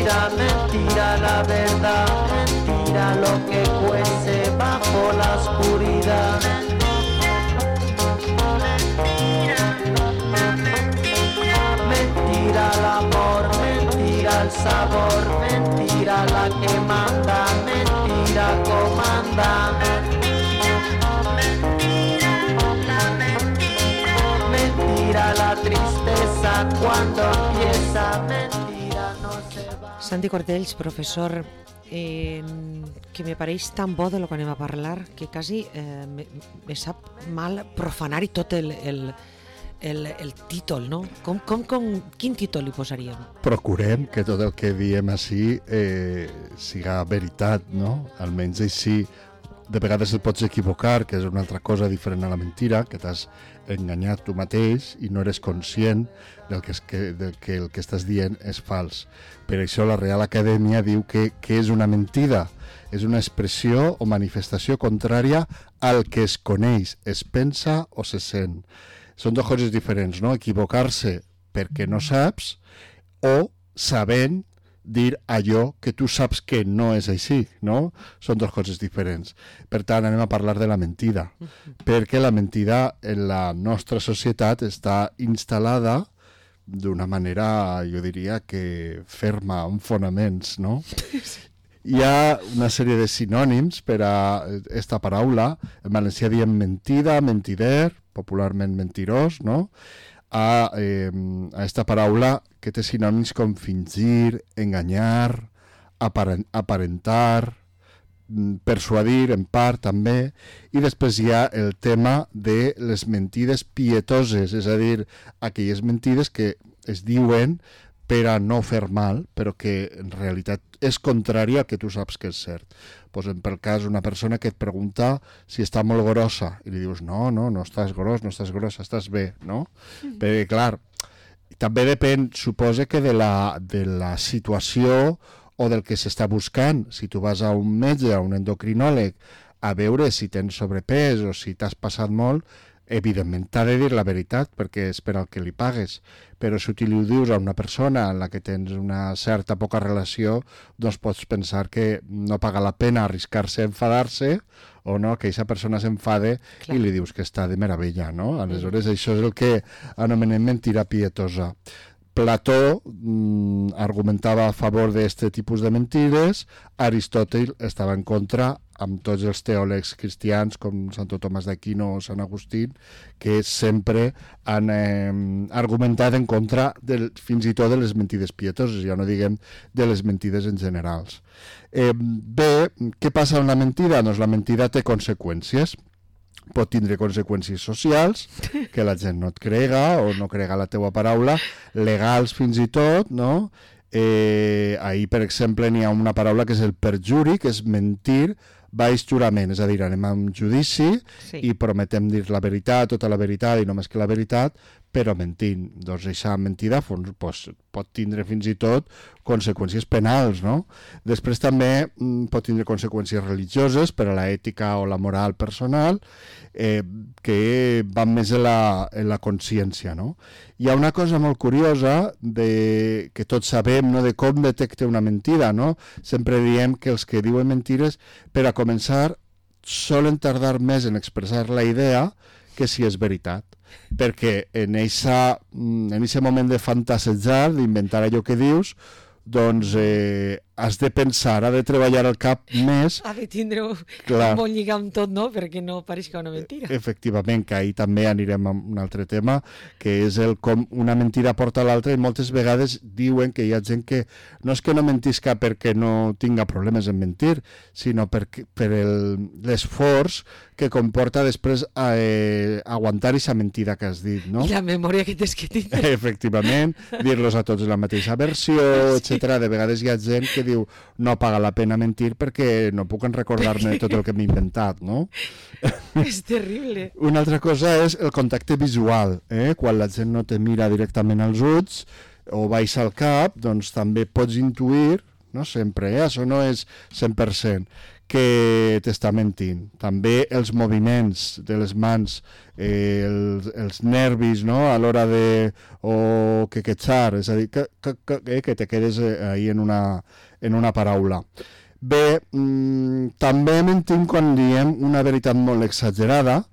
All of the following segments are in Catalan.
mentira, mentira la verdad, mentira lo que cuece bajo la oscuridad. Mentira el amor, mentira el sabor, mentira la que manda, mentira comanda. Mentira la tristeza cuando empieza, mentira no se va. Santi Cortells, professor, que me pareix tan bo de lo que anem a parlar que quasi me sap mal profanar-hi tot el títol, no? Quin títol li posaríem? Procurem que tot el que diem així siga veritat, no? Almenys així, de vegades et pots equivocar, que és una altra cosa diferent a la mentira, que t'has enganyat tu mateix i no eres conscient del que el que estàs dient és fals. Per això la Real Acadèmia diu que és una mentida. És una expressió o manifestació contrària al que es coneix, es pensa o se sent. Són dues coses diferents, no? Equivocar-se perquè no saps o sabent dir allò que tu saps que no és així, no? Són dues coses diferents. Per tant, anem a parlar de la mentida, perquè la mentida en la nostra societat està instal·lada d'una manera, jo diria que ferma, amb fonaments, no? Hi ha una sèrie de sinònims per a aquesta paraula. En valencià diem mentida, mentider, popularment mentirós, no? A aquesta paraula que té sinònims com fingir, enganyar, aparentar, persuadir en part també, i després hi ha el tema de les mentides pietoses, és a dir, aquelles mentides que es diuen per a no fer mal, però que en realitat és contrària al que tu saps que és cert. Posem pel cas una persona que et pregunta si està molt grossa i li dius no estàs gros, no estàs grossa, estàs bé, no? Perquè, clar, també depèn, suposa que de la situació o del que s'està buscant. Si tu vas a un metge, a un endocrinòleg, a veure si tens sobrepès o si t'has passat molt, evidentment t'ha de dir la veritat perquè és per al que li pagues, però si tu li dius a una persona en la que tens una certa poca relació, doncs pots pensar que no paga la pena arriscar-se a enfadar-se o no, que aquesta persona s'enfade i li dius que està de meravella, no? Aleshores això és el que anomenem mentira pietosa. Plató argumentava a favor d'aquest tipus de mentides, Aristòtil estava en contra, amb tots els teòlegs cristians com Santo Tomàs d'Aquino o Sant Agustín, que sempre han argumentat en contra fins i tot de les mentides pietoses, ja no diguem de les mentides en generals. Bé, què passa amb la mentida? Doncs la mentida té conseqüències. Pot tindre conseqüències socials, que la gent no et crega o no crega la teua paraula, legals fins i tot, no? Ahir, per exemple, n'hi ha una paraula que és el perjuri, que és mentir baix jurament, és a dir, anem a un judici i prometem dir la veritat, tota la veritat i només que la veritat, però mentint. Doncs aquesta mentida pot tindre fins i tot conseqüències penals, no? Després també pot tindre conseqüències religioses per a l'ètica o la moral personal, que van més en la consciència, no? Hi ha una cosa molt curiosa que tots sabem, no?, de com detecta una mentida, no? Sempre diem que els que diuen mentires, per a començar, solen tardar més en expressar la idea que si és veritat, perquè en aquest moment de fantasejar, d'inventar allò que dius, doncs has de pensar, has de treballar el cap més. Ha de tindre un bon lligam tot, no?, perquè no pareixi una mentira. Efectivament, que ahir també anirem a un altre tema, que és com una mentira porta a l'altra, i moltes vegades diuen que hi ha gent que no és que no mentisca perquè no tinga problemes en mentir, sinó per l'esforç que comporta després aguantar aquesta mentida que has dit, no? I la memòria que tens que tindre. Efectivament, dir-los a tots la mateixa versió, etc. De vegades hi ha gent que diu no paga la pena mentir perquè no puc recordar-me tot el que m'he inventat, no? És terrible. Una altra cosa és el contacte visual, quan la gent no te mira directament als ulls o baixa el cap, doncs també pots intuir, no sempre, això no és 100%, que t'està mentint. També els moviments de les mans, els nervis, no?, a l'hora de quequejar, és a dir, que te quedes ahí en una paraula. Bé, també mentim quan diem una veritat molt exagerada,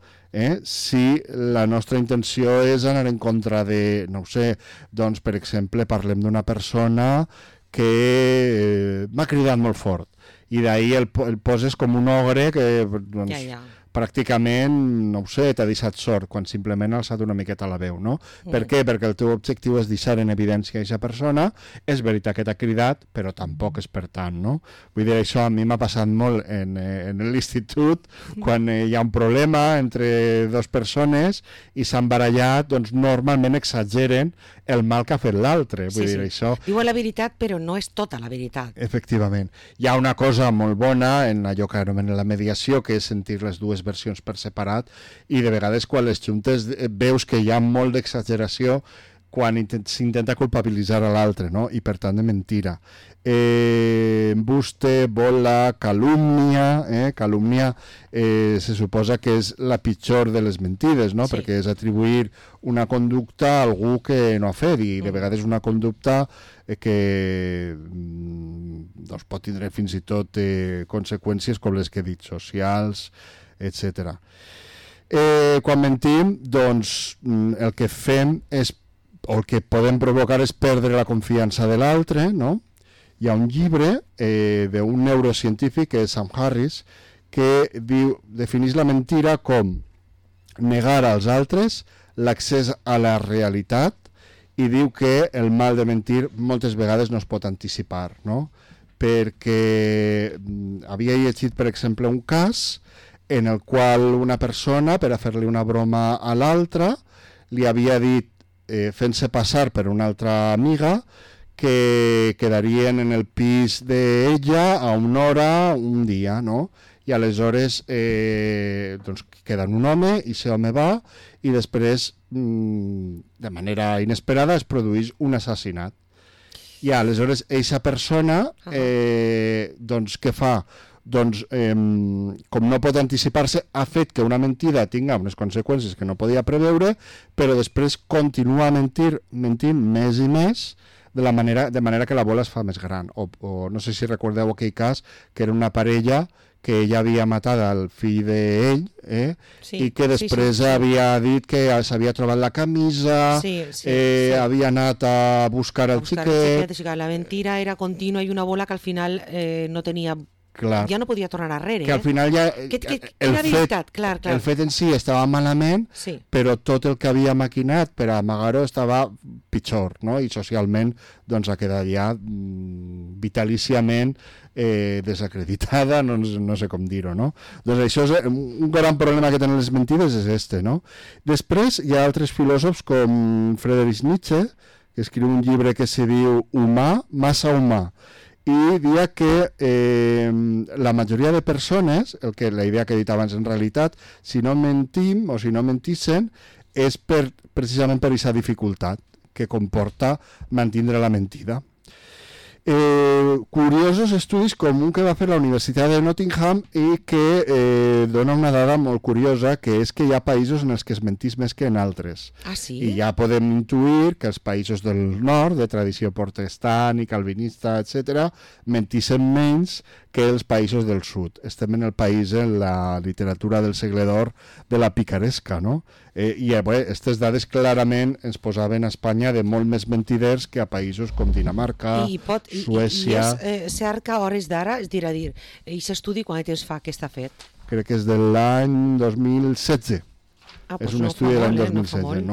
si la nostra intenció és anar en contra de, no ho sé, doncs, per exemple, parlem d'una persona que m'ha cridat molt fort i d'ahir el poses com un ogre que doncs, pràcticament, no ho sé, t'ha deixat sort quan simplement ha alçat una miqueta la veu, no? Per què? Perquè el teu objectiu és deixar en evidència aquesta persona, és veritat que t'ha cridat, però tampoc és per tant, no? Vull dir, això a mi m'ha passat molt en l'institut, quan hi ha un problema entre dues persones i s'han barallat, doncs normalment exageren el mal que ha fet l'altre. Vull dir, això... Diuen la veritat, però no és tota la veritat. Efectivament. Hi ha una cosa molt bona en allò que anomenen la mediació, que és sentir les dues versions per separat, i de vegades quan les juntes veus que hi ha molt d'exageració quan s'intenta culpabilitzar a l'altre, no? I per tant de mentira. Embuste, bola, calúmnia. Calúmnia se suposa que és la pitjor de les mentides, no? Sí. Perquè és atribuir una conducta a algú que no ha fet, i de vegades una conducta que doncs, pot tindre fins i tot conseqüències com les que he dit, socials, etc. Quan mentim, doncs el que fem és, o el que podem provocar és perdre la confiança de l'altre, no? Hi ha un llibre d'un neurocientífic, que és Sam Harris, que defineix la mentira com negar als altres l'accés a la realitat, i diu que el mal de mentir moltes vegades no es pot anticipar, no? Perquè havia llegit, per exemple, un cas en el qual una persona, per a fer-li una broma a l'altra, li havia dit, fent-se passar per una altra amiga, que quedarien en el pis d'ella a una hora, un dia, no? I aleshores doncs queden un home, i aquest home va, i després, de manera inesperada, es produeix un assassinat. I aleshores, aquesta persona, doncs, què fa? Doncs, com no pot anticipar-se, ha fet que una mentida tinga unes conseqüències que no podia preveure, però després continua mentint més i més, de manera que la bola es fa més gran. O no sé si recordeu aquell cas, que era una parella que ella havia matat el fill d'ell, i que després havia dit que s'havia trobat la camisa, havia anat a buscar el xiquet. La mentira era contínua i una bola que al final no tenia... Clar. Ja no podia tornar arrere. Que al final ja... El fet en si estava malament, però tot el que havia maquinat per amagar-ho estava pitjor, no? I socialment doncs, ha quedat ja vitalíciament desacreditada, no sé com dir-ho, no? Doncs això és un gran problema que tenen les mentides, és este, no? Després hi ha altres filòsofs com Friedrich Nietzsche, que escriu un llibre que se diu Humà, massa humà, i dia que la majoria de persones, la idea que he dit abans en realitat, si no mentim o si no mentissen, és precisament per aquesta dificultat que comporta mantindre la mentida. Curiosos estudis com un que va fer la Universitat de Nottingham i que dona una dada molt curiosa, que és que hi ha països en els que es mentís més que en altres. Ah, sí? I ja podem intuir que els països del nord, de tradició protestant i calvinista, etc., mentissin menys que els països del sud. Estem en el país, en la literatura del segle d'or, de la picaresca, no? I aquestes dades clarament ens posaven a Espanya de molt més mentiders que a països com Dinamarca, Suècia... I és cert que a hores d'ara, és dir, aquest estudi quan temps fa que està fet? Crec que és de l'any 2016. És un estudi de l'any 2016,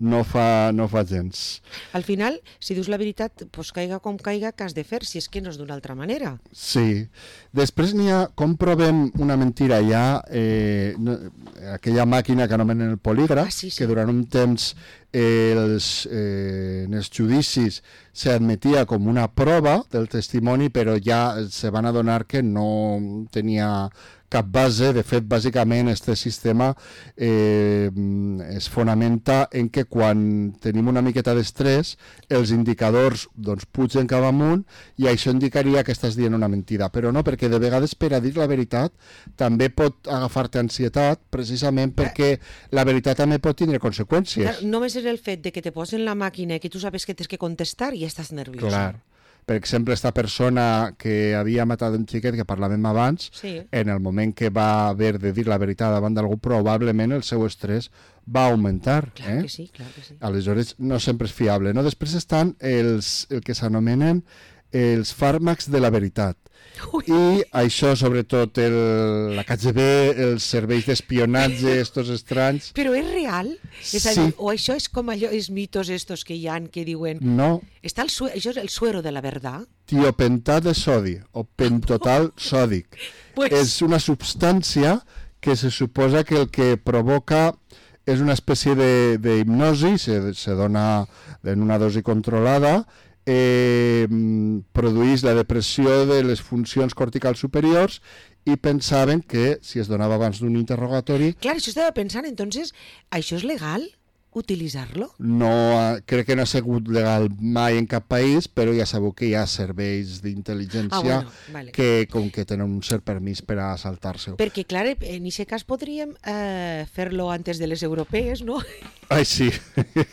no fa gens. Al final, si dius la veritat, doncs caiga com caiga, que has de fer, si és que no és d'una altra manera. Sí. Després n'hi ha, com provem una mentira, hi ha aquella màquina que anomenen el polígraf, que durant un temps en els judicis s'admetia com una prova del testimoni, però ja se van adonar que no tenia cap base. De fet, bàsicament, aquest sistema es fonamenta en que quan tenim una miqueta d'estrès, els indicadors doncs, pugen cap amunt i això indicaria que estàs dient una mentida. Però no, perquè de vegades per a dir la veritat també pot agafar-te ansietat, precisament perquè la veritat també pot tindre conseqüències. Només és el fet de que te posen la màquina i que tu sabes que tens que contestar i ja estàs nerviós. Clar. Per exemple, esta persona que havia matat un xiquet que parlàvem abans, Sí. en el moment que va haver de dir la veritat davant d'algú, probablement el seu estrès va augmentar. Clar que sí, clar que sí. Aleshores, no sempre és fiable. No? Després estan el que s'anomenen els fàrmacs de la veritat. Ui. I això, sobretot, la KGB, els serveis d'espionatge, estos estranys... Però és real? És a Sí. dir, o això és com allò, els mitos estos que hi ha que diuen... No, Està això és el suero de la verdad? tiopentat de sodi o pentotal sòdic. Pues- És una substància que se suposa que el que provoca és una espècie d'hipnosi, se dona en una dosi controlada, produeix la depressió de les funcions corticals superiors i pensaven que si es donava abans d'un interrogatori Clar, això estava pensant, entonces, això és legal? Utilitzar-lo? crec que no ha sigut legal mai en cap país, però ja sabeu que hi ha serveis d'intel·ligència vale. que com que tenen un cert permís per a saltar-se-ho. Perquè, clar, en aquest cas podríem fer-lo antes de les europees, no? Ai, sí,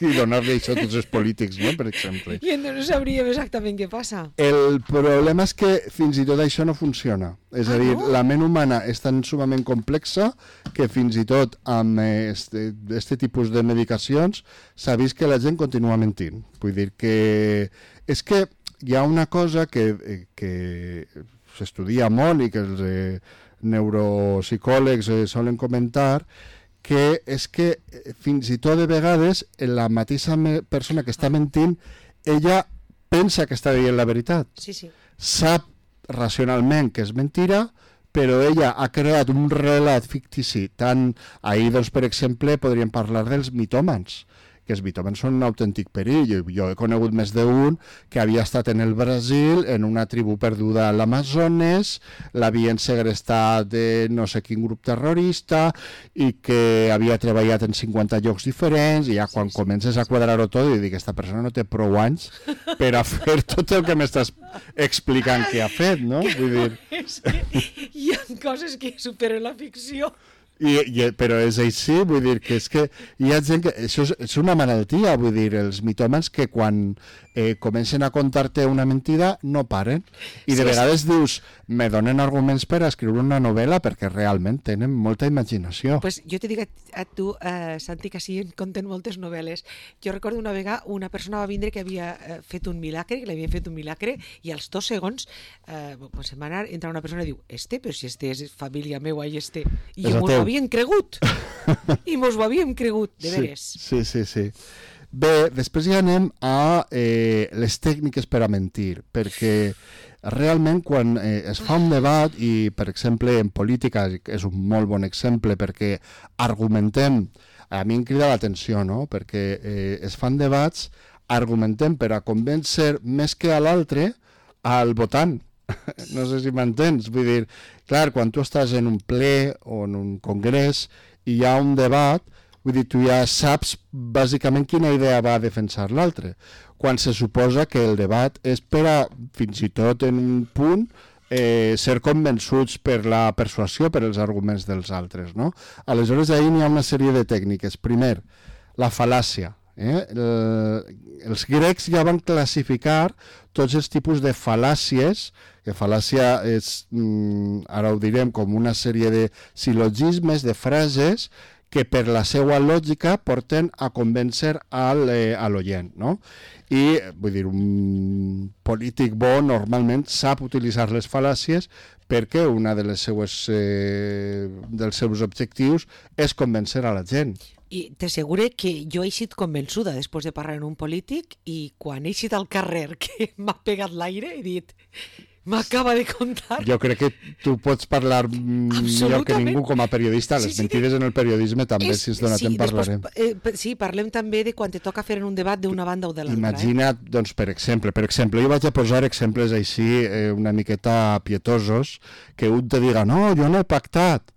i donar-li això a tots els polítics, no?, per exemple. I no sabríem exactament què passa. El problema és que fins i tot això no funciona. És a dir, no? la ment humana és tan sumament complexa que fins i tot amb este tipus de medicacions s'ha vist que la gent continua mentint. Vull dir que és que hi ha una cosa que s'estudia molt i que els neuropsicòlegs solen comentar, que és que fins i tot de vegades la mateixa persona que està mentint, ella pensa que està dient la veritat. Sí, sí. Sap racionalment que és mentira, però ella ha creat un relat fictici. Ahir, doncs, per exemple, podríem parlar dels mitòmans, que els mitòmans són un autèntic perill. Jo he conegut més d'un que havia estat en el Brasil, en una tribu perduda a l'Amazones, l'havien segrestat de no sé quin grup terrorista i que havia treballat en 50 llocs diferents, i ja quan comences a quadrar-ho tot i dir que aquesta persona no té prou anys per a fer tot el que m'estàs explicant que ha fet, no? Vull dir... És que hi ha coses que superen la ficció. Però és així, vull dir que és que hi ha gent que... Això és una malaltia, vull dir, els mitòmans que quan comencen a contar-te una mentida no paren. I de vegades dius, me donen arguments per a escriure una novel·la perquè realment tenen molta imaginació. Pues jo te dic a tu, Santi, que sí, en conten moltes novel·les. Jo recordo una vegada una persona va vindre que havia fet un milagre, que l'havien fet un milagre, i als 2 segons pues, se'n va anar, entra una persona i diu, però si este és família meua i este... I mos ho havien cregut. I mos ho havíem cregut, de veres. Sí. Bé, després ja anem a les tècniques per a mentir, perquè realment quan es fa un debat, i per exemple en política és un molt bon exemple perquè argumentem, a mi em crida l'atenció, no? Perquè es fan debats, argumentem per a convèncer més que a l'altre al votant. No sé si m'entens, vull dir, clar, quan tu estàs en un ple o en un congrés i hi ha un debat, vull dir, tu ja saps bàsicament quina idea va a defensar l'altre, quan se suposa que el debat és per a, fins i tot en un punt, ser convençuts per la persuasió, per els arguments dels altres, no? Aleshores, ahir n'hi ha una sèrie de tècniques. Primer, la fal·làcia. Els grecs ja van classificar tots els tipus de fal·làcies, que fal·làcia és, ara ho direm, com una sèrie de sil·logismes, de frases, que per la seva lògica porten a convèncer a l'oient, no? I, vull dir, un polític bo normalment sap utilitzar les fal·làcies perquè una de les dels seus objectius és convèncer a la gent. I t'assegure que jo he estat convençuda després de parlar amb un polític i quan he estat al carrer que m'ha pegat l'aire he dit m'acaba de contar. Jo crec que tu pots parlar millor que ningú com a periodista. Les mentides en el periodisme també, si ens dona temps, parlarem. Sí, parlem també de quan te toca fer en un debat d'una banda o de l'altra. Imagina't, doncs, per exemple, jo vaig a posar exemples així una miqueta pietosos, que un te diga, no, jo no he pactat,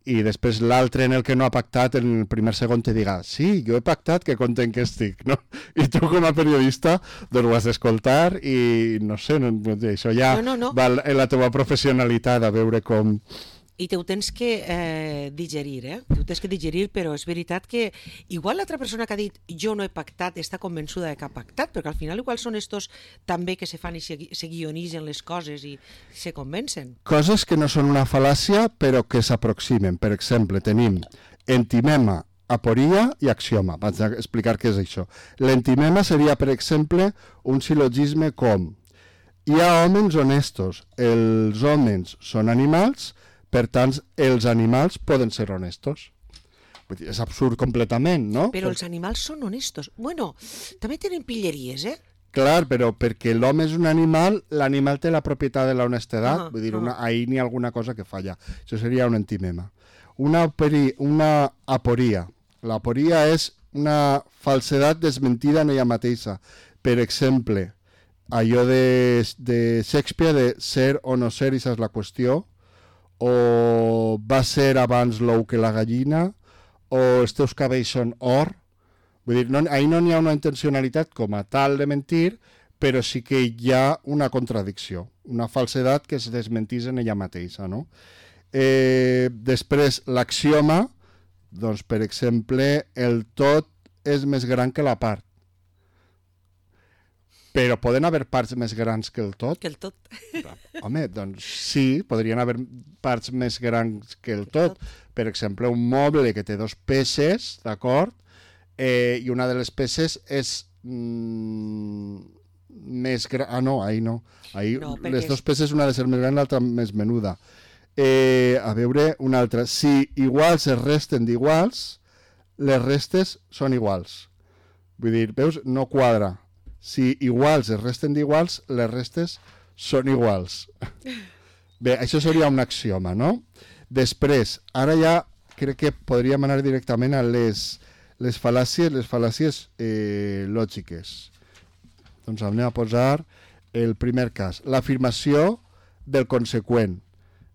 i després l'altre en el que no ha pactat en el primer segon te diga, sí, jo he pactat, que content que estic, no? I tu com a periodista doncs ho has d'escoltar i no sé, això ja va en la teva professionalitat a veure com... I te ho tens que digerir, Te ho tens que digerir, però és veritat que igual l'altra persona que ha dit jo no he pactat està convençuda de que ha pactat, perquè al final igual són estos també que se fan i se guionitzen les coses i se convencen. Coses que no són una fal·làcia, però que s'aproximen. Per exemple, tenim entimema, aporia i axioma. Vaig a explicar què és això. L'entimema seria, per exemple, un silogisme com hi ha homes honestos, els homes són animals, per tant, els animals poden ser honestos. Vull dir, és absurd completament, no? Però els animals són honestos. Bueno, també tenen pilleries, Clar, però perquè l'home és un animal, l'animal té la propietat de la honestedat, vull dir, ahí n'hi ha alguna cosa que falla. Això seria un entimema. Una aporia. L'aporia és una falsedat desmentida en ella mateixa. Per exemple, allò de Shakespeare de ser o no ser, i és la qüestió, o va ser abans l'ou que la gallina, o els teus cabells són or. Vull dir, ahí no n'hi ha una intencionalitat com a tal de mentir, però sí que hi ha una contradicció, una falsedat que es desmentís en ella mateixa, no? Després, l'axioma, doncs, per exemple, el tot és més gran que la part. Però poden haver parts més grans que el tot? Que el tot. Home, doncs sí, podrien haver parts més grans que el tot. Per exemple, un moble que té dos peces, d'acord? I una de les peces és més gran... Ah, no, ahí no. Ahí les dos peces, una ha de ser més gran, l'altra més menuda. A veure, una altra. Si iguals es resten d'iguals, les restes són iguals. Vull dir, veus? No quadra. Si iguals es resten d'iguals, les restes són iguals. Bé, això seria un axioma, no? Després, ara ja crec que podríem anar directament a les fal·làcies lògiques. Doncs anem a posar el primer cas. L'afirmació del conseqüent.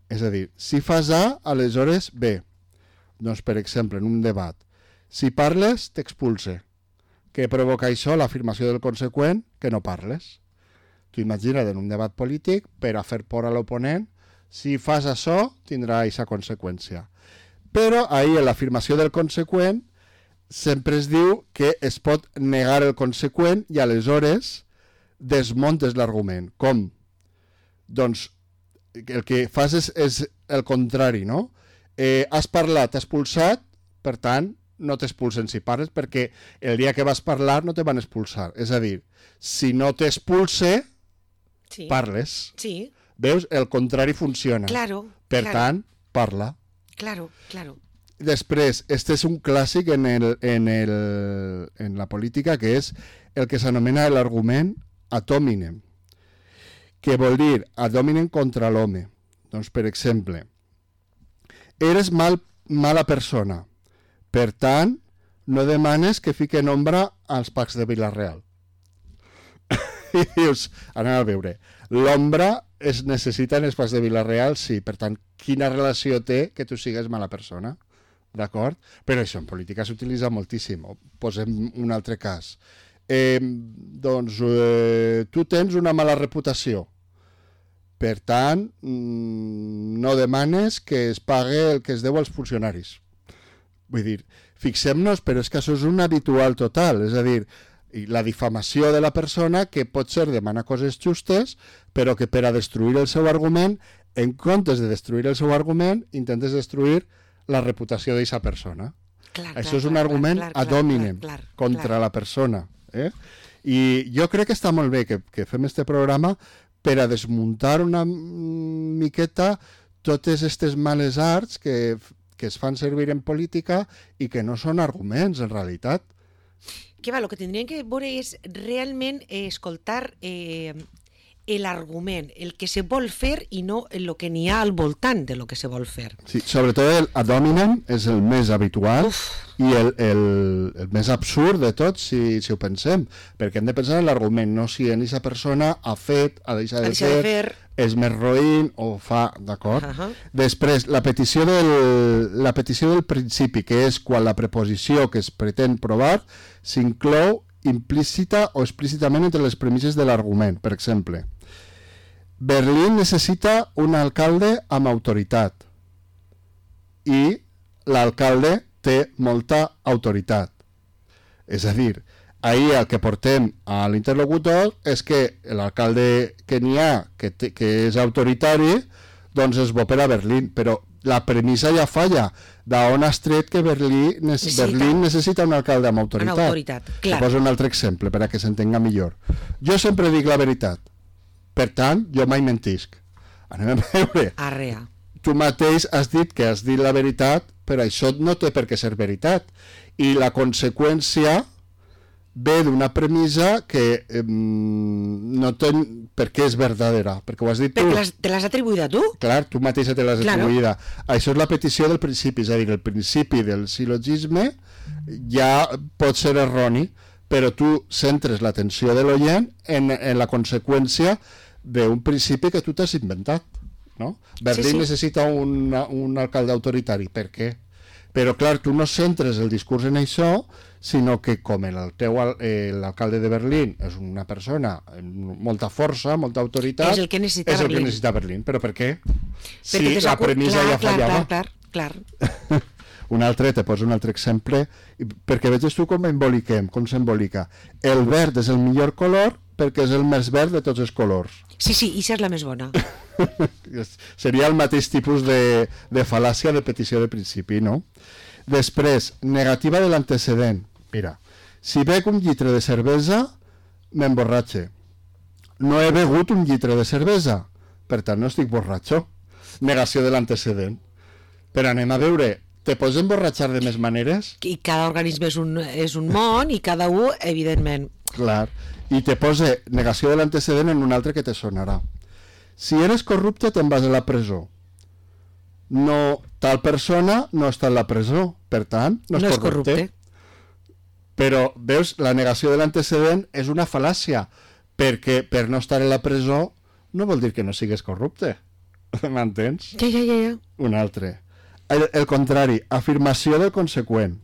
És a dir, si fas A, aleshores B. Doncs, per exemple, en un debat. Si parles, t'expulse. Què provoca això? L'afirmació del conseqüent, que no parles. Tu imagina't en un debat polític, per a fer por a l'oponent, si fas això, tindrà aquesta conseqüència. Però ahí, en l'afirmació del conseqüent, sempre es diu que es pot negar el conseqüent i aleshores desmontes l'argument. Com? Doncs el que fas és el contrari, no? Has parlat, has expulsat, per tant, no t'expulsen si parles, perquè el dia que vas parlar no te van expulsar. És a dir, si no t'expulse, parles. Sí. Veus? El contrari funciona. Claro. Per tant, parla. Claro. Després, este és un clàssic en la política, que és el que s'anomena l'argument ad hominem, que vol dir ad hominem contra l'home. Doncs, per exemple, eres mala persona, per tant, no demanes que fiquen ombra als Pacs de Vila-real. I dius, anem a veure, l'ombra es necessita en els Pacs de Vila-real, sí, per tant, quina relació té que tu sigues mala persona? D'acord? Però això en política s'utilitza moltíssim. Posem un altre cas. Tu tens una mala reputació. Per tant, no demanes que es pague el que es deu als funcionaris. Vull dir, fixem-nos, però és que això és un habitual total, és a dir, la difamació de la persona que pot ser demanar coses justes, però que per a destruir el seu argument, en comptes de destruir el seu argument, intentes destruir la reputació d'aquesta persona. Això és un argument ad hominem contra la persona. I jo crec que està molt bé que fem este programa per a desmuntar una miqueta totes aquestes males arts que es fan servir en política i que no són arguments, en realitat. Que va, el que tindríem que veure és realment escoltar l'argument, el que se vol fer i no el que n'hi ha al voltant de lo que se vol fer. Sí, sobretot el ad hominem és el més habitual i el més absurd de tot, si ho pensem, perquè hem de pensar en l'argument, no si aquesta persona ha fet, ha deixat de fer, és més roïn o fa, d'acord? Després, la petició del principi, que és quan la preposició que es pretén provar s'inclou implícita o explícitament entre les premisses de l'argument. Per exemple, Berlín necessita un alcalde amb autoritat i l'alcalde té molta autoritat. És a dir, ahir el que portem a l'interlocutor és que l'alcalde que n'hi ha, que és autoritari, doncs és bo per a Berlín, però la premissa ja falla. D'on has tret que Berlín necessita un alcalde amb autoritat? Una autoritat, clar. Poso un altre exemple per a que s'entenga millor. Jo sempre dic la veritat. Per tant, jo mai mentisc. Anem a veure. Arrea. Tu mateix has dit que has dit la veritat, però això no té per què ser veritat. I la conseqüència ve d'una premissa que no té per què és verdadera, perquè ho has dit tu. Perquè te l'has atribuïda tu? Clar, tu mateixa te l'has atribuïda. Això és la petició del principi, és a dir, el principi del sil·logisme ja pot ser erroni, però tu centres l'atenció de l'oient en la conseqüència d'un principi que tu t'has inventat, no? Berlín necessita un alcalde autoritari. Per què? Però, clar, tu no centres el discurs en això, sinó que com l'alcalde de Berlín és una persona amb molta força, molta autoritat, és el que necessita Berlín. Però per què? Si la premissa ja fallava. Clar. Te poso un altre exemple, perquè veges tu com emboliquem, com s'embolica. El verd és el millor color perquè és el més verd de tots els colors. Sí, això és la més bona. Seria el mateix tipus de fal·làcia de petició de principi, no? Després, negativa de l'antecedent. Mira, si bec un litre de cervesa, m'emborratxe. No he begut un litre de cervesa, per tant no estic borratxo. Negació de l'antecedent. Però anem a veure, te pots emborratxar de més maneres? I cada organisme és un món i cada un, evidentment. Clar, i te posa negació de l'antecedent en un altre que te sonarà. Si eres corrupte te'n vas a la presó. No, tal persona no està en la presó, per tant, no és corrupte. Però, veus, la negació de l'antecedent és una fal·làcia, perquè per no estar en la presó no vol dir que no sigues corrupte. M'entens? Ja. Un altre. El contrari, afirmació del conseqüent.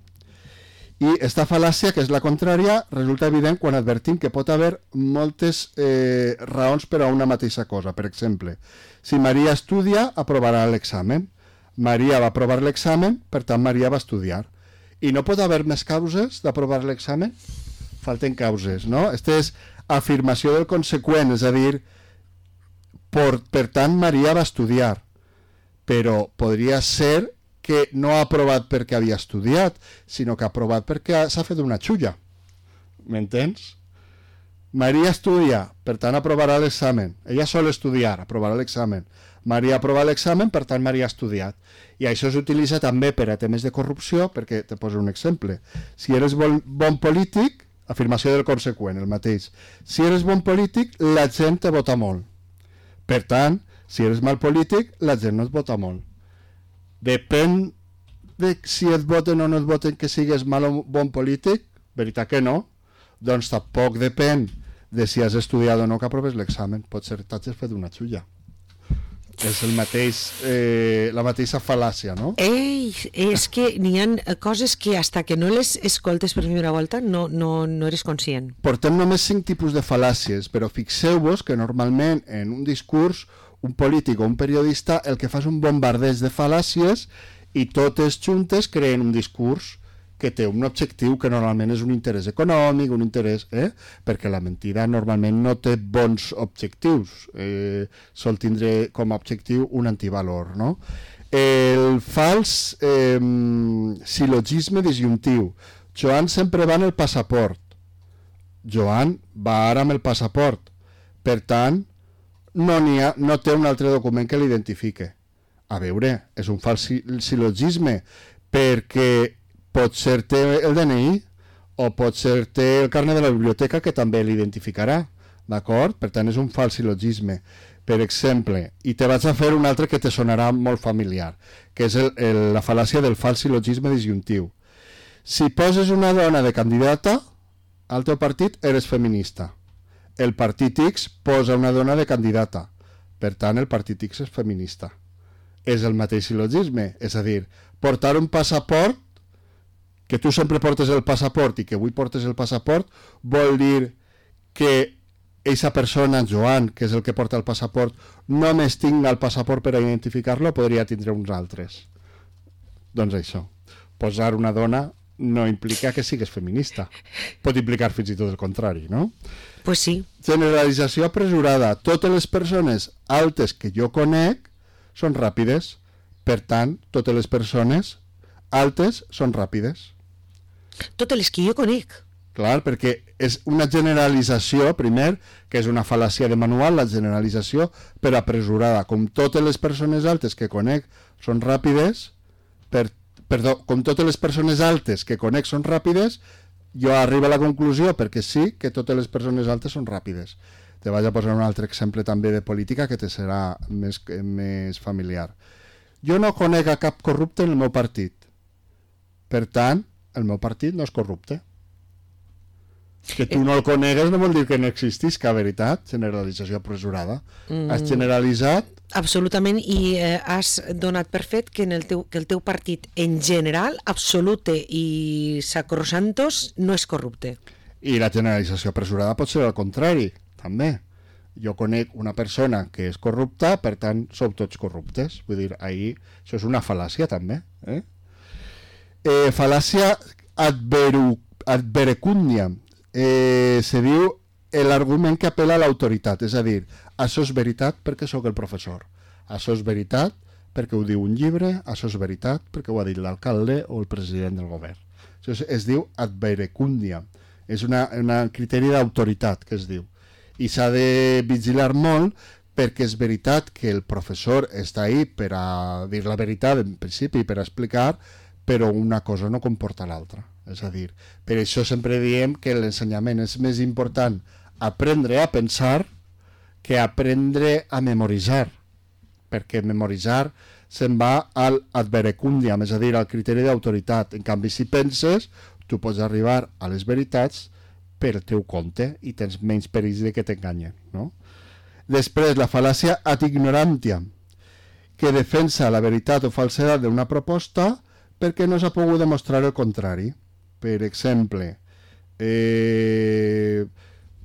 I esta fal·làcia, que és la contrària, resulta evident quan advertim que pot haver moltes raons per a una mateixa cosa. Per exemple, si Maria estudia, aprovarà l'examen. Maria va aprovar l'examen, per tant Maria va estudiar. I no pot haver més causes d'aprovar l'examen? Falten causes, no? Aquesta és afirmació del conseqüent, és a dir, per tant Maria va estudiar. Però podria ser que no ha aprovat perquè havia estudiat, sinó que ha aprovat perquè s'ha fet una xulla. M'entens? Maria estudia, per tant aprovarà l'examen. Ella sol estudiar, aprovarà l'examen. Maria aprova l'examen, per tant Maria ha estudiat. I això s'utilitza també per a temes de corrupció, perquè te poso un exemple. Si eres bon polític, afirmació del conseqüent, el mateix. Si eres bon polític, la gent te vota molt. Per tant, si eres mal polític, la gent no et vota molt. Depèn de si et voten o no et voten que sigues mal o bon polític, veritat que no, doncs tampoc depèn de si has estudiat o no que aproves l'examen. Pot ser que t'hagis fet una xulla. És la mateixa fal·làcia, no? És que n'hi ha coses que hasta que no les escoltes per primera volta no eres conscient. Portem només 5 tipus de fal·làcies, però fixeu-vos que normalment en un discurs un polític o un periodista el que fa és un bombardeig de fal·làcies i totes juntes creen un discurs que té un objectiu que normalment és un interès econòmic, un interès... perquè la mentida normalment no té bons objectius, sol tindre com a objectiu un antivalor, no? El fals sil·logisme disjuntiu. Joan sempre va en el passaport. Joan va ara amb el passaport. Per tant, no té un altre document que l'identifique. A veure, és un fals sil·logisme, perquè potser té el DNI o potser té el carnet de la biblioteca que també l'identificarà. d'acord? Per tant, és un fals silogisme. Per exemple, i te vaig a fer un altre que te sonarà molt familiar, que és la fal·làcia del fals silogisme disjuntiu. Si poses una dona de candidata al teu partit, eres feminista. El partit X posa una dona de candidata. Per tant, el partit X és feminista. És el mateix silogisme. És a dir, portar un passaport, que tu sempre portes el passaport i que avui portes el passaport, vol dir que aquesta persona, Joan, que és el que porta el passaport, només tinga el passaport per a identificar-lo o podria tindre uns altres. Doncs això. Posar una dona no implica que sigues feminista. Pot implicar fins i tot el contrari, no? Pues sí. Generalització apresurada. Totes les persones altes que jo conec són ràpides. Per tant, totes les persones altes són ràpides. Totes les que jo conec. Clar, perquè és una generalització, primer, que és una fal·làcia de manual, la generalització, però apresurada. Com totes les persones altes que conec són ràpides, com totes les persones altes que conec són ràpides, jo arribo a la conclusió, perquè sí, que totes les persones altes són ràpides. Te vaig a posar un altre exemple també de política que te serà més familiar. Jo no conec a cap corrupte en el meu partit. Per tant, el meu partit no és corrupte. Que tu no el conegues no vol dir que no existisca, veritat? Generalització apresurada. Has generalitzat... Absolutament, i has donat per fet que el teu partit en general, absolute i sacrosantos, no és corrupte. I la generalització apresurada pot ser al contrari, també. Jo conec una persona que és corrupta, per tant, sou tots corruptes. Vull dir, ahir, això és una fal·làcia, també. Fal·làcia adverecúndia. Se diu l'argument que apela a l'autoritat, és a dir, això és veritat perquè sóc el professor, això és veritat perquè ho diu un llibre, això és veritat perquè ho ha dit l'alcalde o el president del govern. Això es diu adverecúndia, és un criteri d'autoritat que es diu, i s'ha de vigilar molt perquè és veritat que el professor està ahí per a dir la veritat en principi, per a explicar, però una cosa no comporta l'altra. És a dir, per això sempre diem que l'ensenyament és més important aprendre a pensar que aprendre a memoritzar, perquè memoritzar se'n va al adverecúndiam, és a dir, al criteri d'autoritat. En canvi, si penses, tu pots arribar a les veritats per teu compte i tens menys perills de que t'enganyen, no? Després, la fal·làcia ad ignorantiam, que defensa la veritat o falsedat d'una proposta perquè no s'ha pogut demostrar el contrari. Per exemple,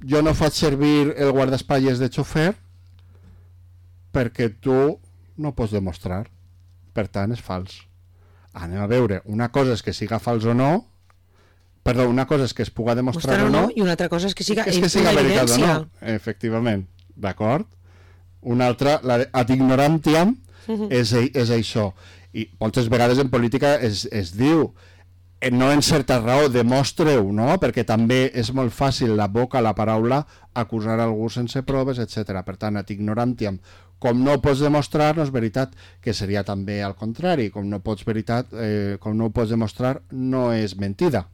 jo no faig servir el guardaespatlles de xofer perquè tu no pots demostrar. Per tant, és fals. Anem a veure, una cosa és que siga fals o no, perdó, una cosa és que es puga demostrar o no, i una altra cosa és que siga veritat o no. Efectivament, d'acord? Una altra, la ad ignorantiam, és això. I moltes vegades en política es diu no en certa raó, demostreu, no? Perquè també és molt fàcil la boca, la paraula, acusar algú sense proves, etc. Per tant, ad ignorantiam, com no ho pots demostrar, no és veritat, que seria també al contrari, com no ho pots demostrar, no és mentida.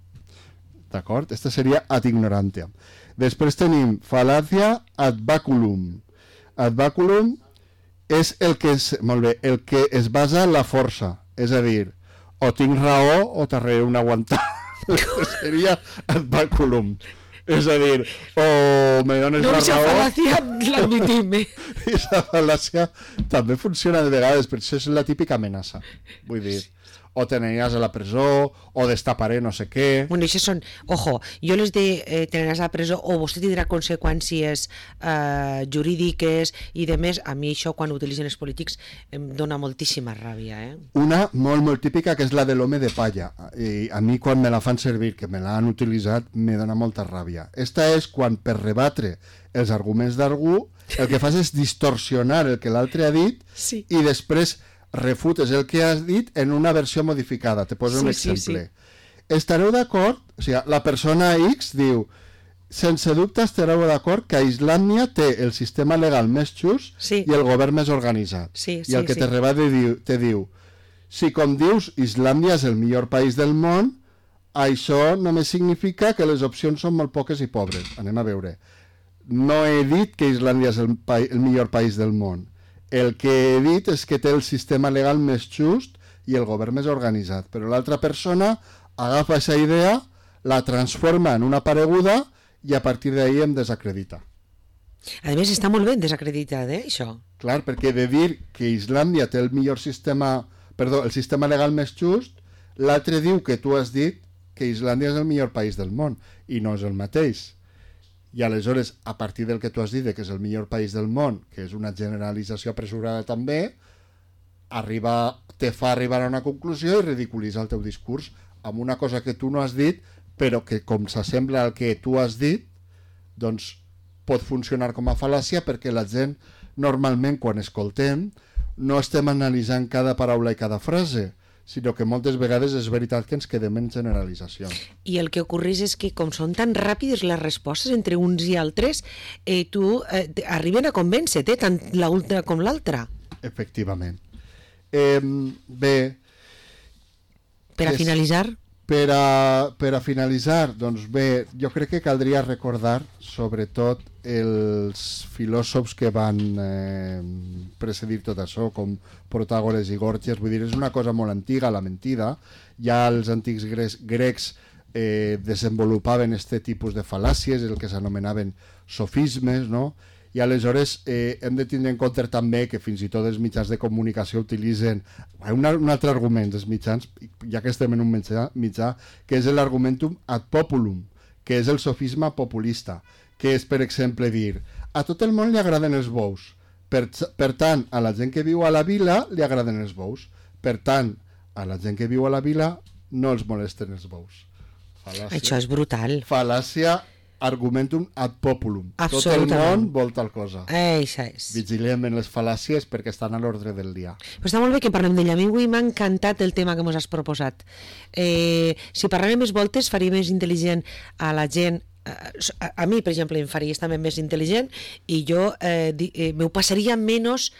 D'acord? Aquesta seria ad ignorantiam. Després tenim fal·làcia ad baculum. Ad baculum és el que es basa en la força, és a dir, o tinc raó o t'arrere un aguantar. Seria ad baculum. És a dir, o me dones la raó... No, aquesta fal·làcia l'admitim. Aquesta fal·làcia també funciona de vegades, però això és la típica amenaça. Vull dir, o t'aniràs a la presó, o destaparé no sé què... Bueno, això són... Ojo, jo les de t'aniràs a la presó o vostè tindrà conseqüències jurídiques i de més, a mi això quan ho utilitzen els polítics em dona moltíssima ràbia. Una molt típica que és la de l'home de palla. I a mi quan me la fan servir, que me l'han utilitzat, me dona molta ràbia. Esta és quan per rebatre els arguments d'algú el que fas és distorsionar el que l'altre ha dit i després refutes el que has dit en una versió modificada. Te poso un exemple. Estareu d'acord? O sigui, la persona X diu, sense dubte estareu d'acord que Islàndia té el sistema legal més just i el govern més organitzat. I el que te rebat te diu, si com dius Islàndia és el millor país del món, això només significa que les opcions són molt poques i pobres. Anem a veure. no he dit que Islàndia és el millor país del món. El que he dit és que té el sistema legal més just i el govern més organitzat. Però l'altra persona agafa aquesta idea, la transforma en una pareguda i a partir d'ahí em desacredita. A més, està molt ben desacreditat, això. Clar, perquè de dir que Islàndia té el millor sistema, perdó, el sistema legal més just, l'altre diu que tu has dit que Islàndia és el millor país del món, i no és el mateix. I aleshores, a partir del que tu has dit que és el millor país del món, que és una generalització apresurada també, te fa arribar a una conclusió i ridiculitza el teu discurs amb una cosa que tu no has dit, però que com s'assembla al que tu has dit, doncs pot funcionar com a fal·làcia, perquè la gent normalment quan escoltem no estem analitzant cada paraula i cada frase, sinó que moltes vegades és veritat que ens quedem en generalitzacions. I el que ocorreix és que com són tan ràpides les respostes entre uns i altres, arriben a convèncer-te, tant l'una com l'altra. Efectivament. Bé... Per a finalitzar... Per a finalitzar, doncs bé, jo crec que caldria recordar sobretot els filòsofs que van precedir tot això, com Protàgores i Gorgias. Vull dir, és una cosa molt antiga, la mentida. Ja els antics grecs desenvolupaven aquest tipus de fal·làcies, el que s'anomenaven sofismes, no? I aleshores hem de tindre en compte també que fins i tot els mitjans de comunicació utilitzen un altre argument dels mitjans, ja que estem en un mitjà, que és l'argumentum ad populum, que és el sofisme populista, que és, per exemple, dir a tot el món li agraden els bous, per tant, a la gent que viu a la vila li agraden els bous, per tant, a la gent que viu a la vila no els molesten els bous. Fal·làcia. Això és brutal. Fal·làcia argumentum ad populum. Tot el món vol tal cosa. Això és. Vigilem en les fal·làcies perquè estan a l'ordre del dia. Però està molt bé que parlem d'ella. A mi avui m'ha encantat el tema que ens has proposat. Si parlem més voltes faria més intel·ligent a la gent. A mi, per exemple, em faria també més intel·ligent i jo m'ho passaria menys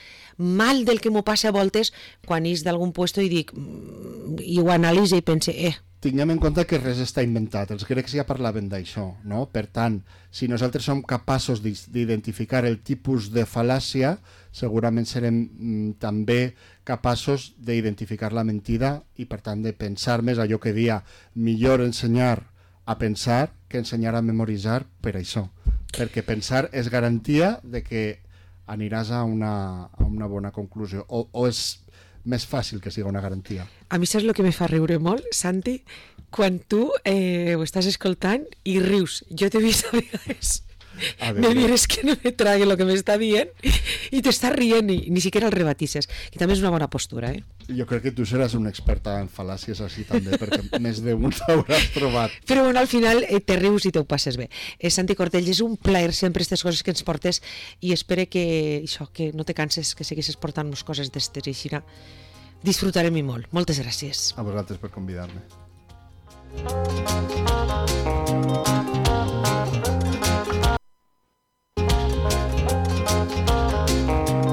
mal del que m'ho passa a voltes quan és d'algun puesto i dic i ho analitzo i pense tinguem en compte que res està inventat. Els grecs ja parlaven d'això, no? Per tant, si nosaltres som capaços d'identificar el tipus de fal·làcia, segurament serem també capaços d'identificar la mentida i, per tant, de pensar més allò que dia millor ensenyar a pensar que ensenyar a memoritzar per això. Perquè pensar és garantia de que aniràs a una bona conclusió. O és més fàcil que sigui una garantia. A mi saps el que me fa riure molt, Santi? Quan tu ho estàs escoltant i rius. Jo t'he vist a vegades me mires que no me trague el que m'està dient i t'estàs rient i ni siquiera el rebatisses, que també és una bona postura, Jo crec que tu seràs una experta en fal·làcies així també, perquè més d'un t'hauràs trobat. Però bueno, al final te rius i te ho passes bé. Santi Cortells, és un plaer sempre aquestes coses que ens portes i espero que això, que no te canses, que segueixes portant-nos coses d'estes i així disfrutarem-hi molt. Moltes gràcies. A vosaltres per convidar-me.